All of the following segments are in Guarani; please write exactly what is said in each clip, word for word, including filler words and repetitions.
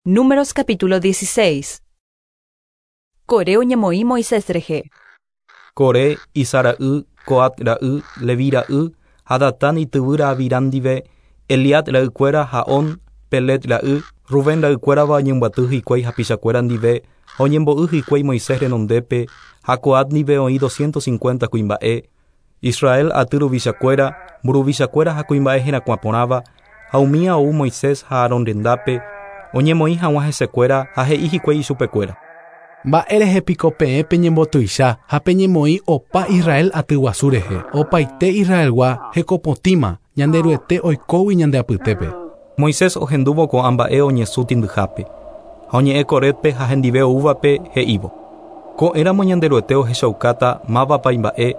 Números capítulo dieciséis. Coré oñemoĩ Moisés rehe. Coré, Izhar ra'y, Coat ra'y, Leví ra'y, ha Datán ityvýra Abiram ndive, Eliab ra'ykuéra ha On, Pelet ra'y, Rubén ra'ykuérava oñembyaty hikuái hapichakuéra ndive ha oñembo'y hikuái Moisés renondépe ha Coat ndive oĩ doscientos cincuenta kuimba'e, Israel aty ruvichakuéra, mburuvichakuéra ha kuimba'e herakuã porãva, ha umía ou Moisés ha Aarón rendápe, oñemoĩ hag̃ua hesekuéra ha he'i hikuái ichupekuéra. Mba'e piko peẽ peñembotuicha ha peñemoĩ opa Israel aty guasu rehe, opaite Israelgua hekopotĩma Ñanderuete oikógui ñande apytépe. Moisés ohendúvo ko'ã mba'e oñesũ tĩndyhápe ha oñe'ẽ Corépe ha hendive oúvape he'ívo. Ko'ẽramo Ñanderuete ohechaukáta mávapa imba'e,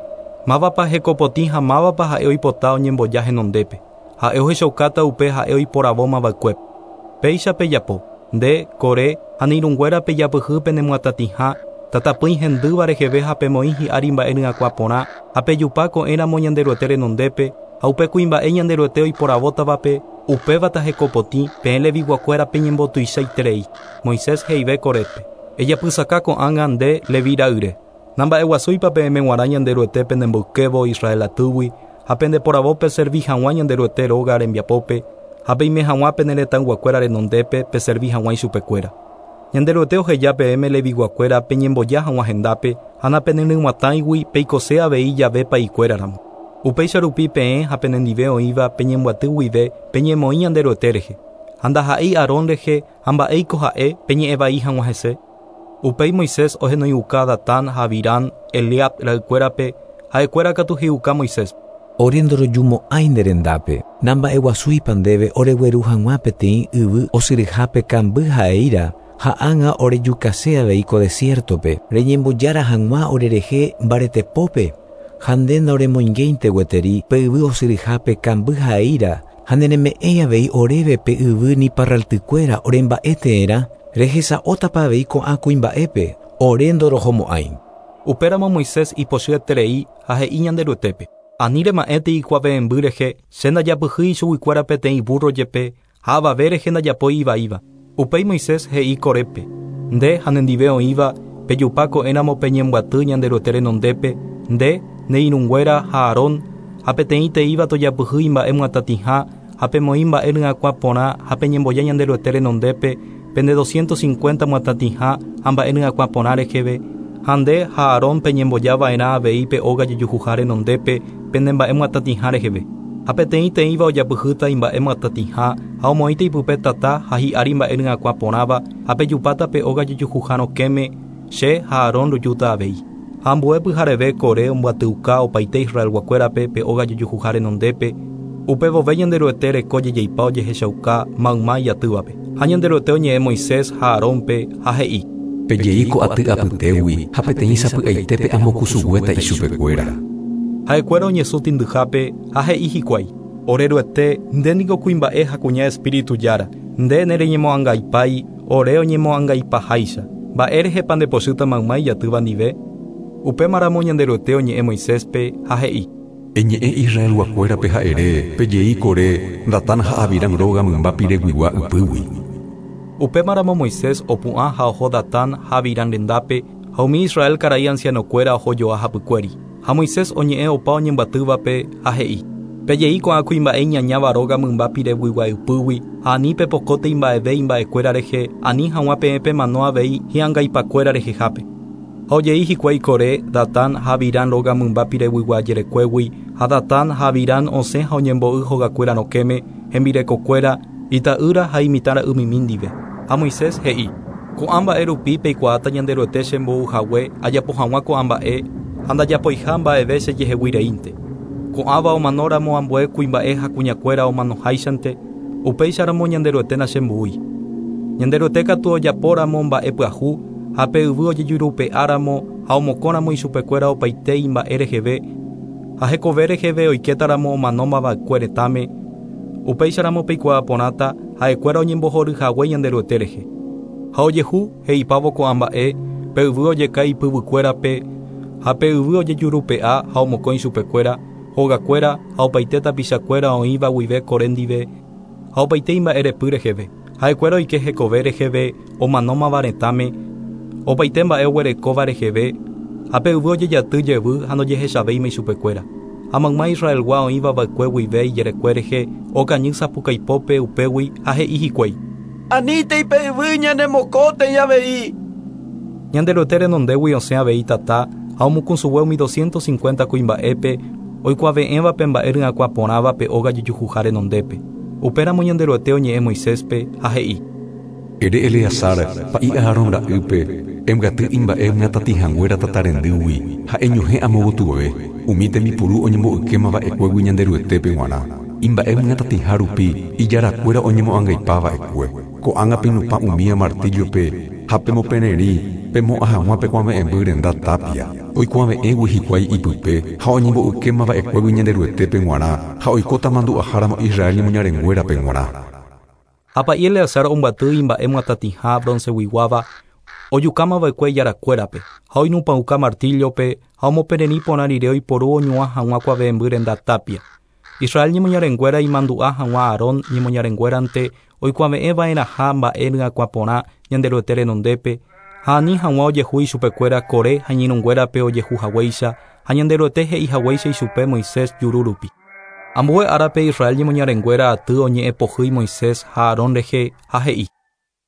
mávapa hekopotĩ ha mávapa ha'e oipota oñemboja henondépe. Ha'e ohechaukáta upe ha'e oiporavómava'ekue. Péicha pejapo, nde, Coré, ha ne irũnguéra pejapyhy penemyatatĩha, tatapỹi hendýva reheve ha pemoĩ hi'ári mba'e ryakuã porã ha pejupa ko'ẽramo Ñanderuete renondépe ha upe kuimba'e Ñanderuete oiporavótavape, upévata hekopotĩ peẽ leviguakuéra peñembotuichaiterei. Moisés he'ive Corépe. Ejapysaka ko'ág̃a nde Leví ra'yre. Namba'eguasúipa peẽme g̃uarã Ñanderuete penemboykévo Israel atýgui ha pendeporavópe servi hag̃ua Ñanderuete róga rembiapópe ha peime hag̃ua pene retãyguakuéra renondépe peservi hag̃ua ichupekuéra. Ñanderuete oheja peẽme leviguakuéra peñemboja hag̃ua hendápe ha napeneryg̃uatãigui peikose avei jave pa'ikuéraramo. Upéicha rupi peẽ ha penendive oĩva peñembyaty guive peñemoĩ Ñanderuete rehe. Ha ndaha'éi Aarón rehe ha mba'éiko ha'e peñe'ẽvai hag̃ua hese. Upéi Moisés ohenoiuka Datán ha Abiram Eliab ra'ykuérape ha'ekuéra katu he'iuka Moisés. Ore ndorojumo'ãi nde rendápe, namba'eguasúipa ndéve oregueru hag̃ua peteĩ yvy osyryhápe kamby ha'eíra ha ág̃a orejukase avei ko desiertope, reñembojára hag̃ua orerehe mbaretepópe, ha nde ndaoremoingéinte gueteri pe yvy osyryhápe kamby ha'eíra ha nereme'ẽi avei oréve pe yvy ni parraltykuéra oremba'eteerã, rehesa'ótapa avei ko'ã kuimba'épe, ore ndorohomo'ãi. Upéramo Moisés ipochyeterei ha he'i Ñanderuetépe. Ani rema'ẽte ikuave'ẽmby rehe, che ndajapyhýi ichuguikuéra peteĩ burro jepe ha avave rehe ndajapói ivaíva. Upéi Moisés he'i Corépe. Nde ha nendive oĩva pejupa ko'ẽramo peñembyaty Ñanderuete renondépe, nde, ne irũnguéra ha Aarón, ha peteĩ teíva tojapyhy imba'e myatatĩha ha pemoĩ mba'e ryakuã porã ha peñemboja Ñanderuete renondépe pende doscientos cincuenta myatatĩha ha mba'e ryakuã porã reheve, ha nde ha Aarón peñembojava'erã avei pe óga jejuhuha renondépe pende mba'e myatatĩha reheve. Ha peteĩ teĩva ojapyhýta imba'e myatatĩha ha omoĩta ipype tata ha hi'ári mba'e ryakuã porãva ha pejupáta pe óga jejuhuha rokẽme, che ha Aarón rojúta avei. Ha ambue pyhareve Coré ombyatyuka opaite Israelguakuérape pe óga jejuhuha renondépe, upevove Ñanderuete reko jejeipa ojehechauka mayma ijatývape. Ha Ñanderuete oñe'ẽ Moisés ha Aarónpe ha he'i. Pejei ko aty apytégui ha peteĩ sapy'aitépe amokusuguéta ichupekuéra. Ha'ekuéra oñesũ tĩndyhápe ha he'i hikuái. Oreruete, nde niko kuimba'e ha kuña espíritu jára, nde nereñemo'ãngaipái, ore oñemo'ãngaipaháicha. Mba'e rehepa ndepochýta mayma ijatýva ndive. Upémaramo Ñanderuete oñe'ẽ Moiséspe ha he'i. Eñe'ẽ Israelguakuérape ha'ere, pejei Coré, Datán ha Abiram róga mymba pireguigua ypýgui. Upémaramo Moisés opu'ã ha oho Datán ha Abiram rendápe ha umi Israel karai ancianokuéra ohojoa hapykuéri. Ha Moisés oñe'ẽ opa oñembyatývape ha he'i. Pejei ko'ã kuimba'e iñañáva róga mymba pireguigua ypýgui ha ani pepokóte imba'eve imba'ekuéra rehe ani hag̃ua peẽ pemano avei hi'angaipakuéra rehehápe. Ha ojei hikuái Coré, Datán ha Abiram róga mymba pireguigua jerekuégui ha Datán ha Abiram osẽ ha oñembo'y hogakuéra rokẽme, hembirekokuéra, ita'ýra ha imitãra'ymimi ndive. Ha Moisés he'i. Ko'ã mba'e rupi peikuaáta Ñanderuete chembouhague ajapo hag̃ua ko'ã mba'e ha ndajapoiha mba'eve chejeheguireínte. Ko'ãva omanóramo ambue kuimba'e ha kuñakuéra omanoháichante, upéicharamo Ñanderuete nachemboúi. Ñanderuete katu ojapóramo mba'e pyahu ha pe yvy ojejurupe'áramo ha omokõramo ichupekuéra opaite imba'e reheve ha hekove reheve oikétaramo omanómava'ekue retãme, upéicharamo peikuaa porãta ha'ekuéra oñembohoryhague Ñanderuete rehe. Ha ojehu he'ipávo ko'ã mba'e pe yvy ojeka ipyvykuérape ha pe yvy ojejurupe'a ha omokõ ichupekuéra, hogakuéra ha opaite tapichakuéra oĩva guive Coré ndive ha opaite imba'erepy reheve. Ha'ekuéra oike hekove reheve omanómava retãme, opaite mba'e oguerekóva reheve, ha pe yvy ojejaty jevy ha ndojehechavéima ichupekuéra. Ha mayma Israelgua oĩva va'ekue guive ijerekue rehe okañy sapukaipópe upégui ha he'i hikuái. Anítei pe yvy ñanemokótei avei. Ñanderuete renondégui osẽ avei tata ha omukusugue umi doscientos cincuenta kuimba'épe oikuave'ẽvape mba'e ryakuã porãva pe óga jejuhuha renondépe. Upéramo Ñanderuete oñe'ẽ Moiséspe ha he'i. Ere Eleazar pa'i Aarón ra'ýpe embyaty imba'e myatatĩhanguéra tata rendýgui ha eñohẽ amogotyve umi tembipuru oñembo'ykéma va'ekuégui Ñanderuetépe g̃uarã. Imba'e myatatĩha rupi ijarakuéra oñemo'ãngaipa va'ekue. Ko'ág̃a penupã umía martillope ha pemopererĩ pemo'ã hag̃ua pekuave'ẽmby renda tapia. Oikuave'ẽgui hikuái ipype ha oñembo'ykéma va'ekuégui Ñanderuetépe g̃uarã ha oikóta mandu'aháramo Israel ñemoñarenguérape g̃uarã. Ha pa'i Eleazar ombyaty imba'e myatatĩha bronceguiguáva ojukáma va'ekue ijarakuérape ha oinupãuka martillope ha omopererĩ porã rire oiporu oñuã hag̃ua kuave'ẽmby renda tapia. Israel ñemoñarenguéra imandu'a hag̃ua Aarón ñemoñarenguérante oikuave'ẽva'erãha mba'e ryakuã porã Ñanderuete renondépe ha ani hag̃ua ojehu ichupekuéra Coré ha iñirũnguérape ojehu haguéicha ha Ñanderuete he'i haguéicha ichupe Moisés juru rupi. Ambue árape Israel ñemoñarenguéra aty oñe'ẽpohýi Moisés ha Aarón rehe ha he'i.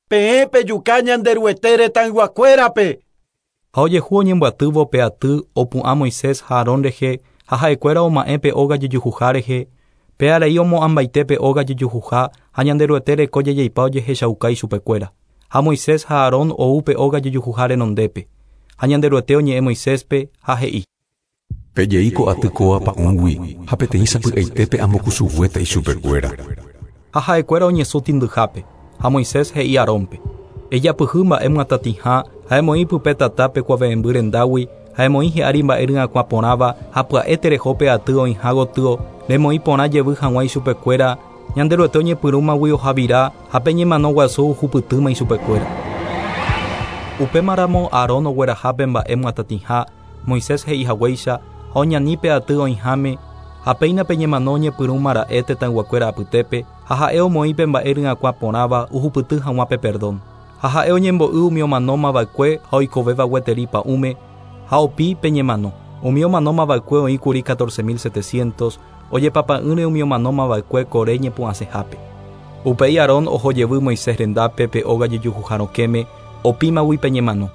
Peẽ pejuka Ñanderuete retãyguakuérape. Ha ojehu oñembyatývo pe aty opu'ã Moisés ha Aarón rehe ha ha'ekuéra oma'ẽ pe óga jejuhuha rehe, pe arai omo'ãmbaite pe óga jejuhuha ha Ñanderuete reko jejeipa ojehechauka ichupekuéra. Ha Moisés ha Aarón ou pe óga jejuhuha renondépe. Ha Ñanderuete oñe'ẽ Moiséspe ha he'i. Pejei ko aty kóva pa'ũgui ha peteĩ sapy'aitépe ambokusuguéta ichupekuéra. Ha ha'ekuéra oñesũ tĩndyhápe. Ha Moisés he'i Aarónpe. Ejapyhy mba'e myatatĩha ha emoĩ pype tata pekuave'ẽmby rendágui ha emoĩ hi'ári mba'e ryakuã porãva ha pya'e tereho pe aty oĩha gotyo remoĩ porã jevy hag̃ua ichupekuéra Ñanderuete oñepyrũmagui ohavira ha pe ñemano guasu ohupytýma ichupekuéra. Upémaramo Aarón ogueraha pe mba'e myatatĩha Moisés he'i haguéicha ha oñani pe aty oĩháme ha péina pe ñemano oñepyrũma ra'e tetãyguakuéra apytépe ha ha'e omoĩ pe mba'e ryakuã porãva ohupyty hag̃ua pe perdón. Ha ha'e oñembo'y umi omanóma va'ekue ha oikovéva gueteri pa'ũme ha opi pe ñemano. Umi omanóma va'ekue oĩkuri catorce mil setecientos ojepapa'ỹre umi omanóma va'ekue Coré ñepu'ãsehápe. Upéi Aarón oho jevy Moisés rendápe pe óga jejuhuha rokẽme opímagui pe ñemano.